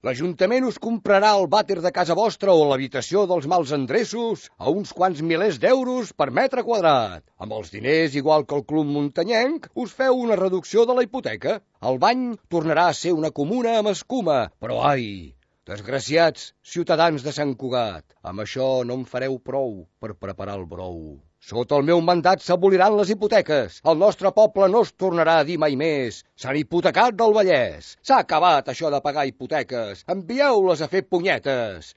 L'Ajuntament us comprarà el vàter de casa vostra o l'habitació dels mals endreços a uns quants milers d'euros per metre quadrat. Amb els diners, igual que el Club Muntanyenc, us feu una reducció de la hipoteca. El bany tornarà a ser una comuna amb escuma, però ai, desgraciats ciutadans de Sant Cugat, amb això no en fareu prou per preparar el brou. Sota el meu mandat s'aboliran les hipoteques. El nostre poble no es tornarà a dir mai més Sant Hipotecat del Vallès. S'ha acabat això de pagar hipoteques. Envieu-les a fer punyetes.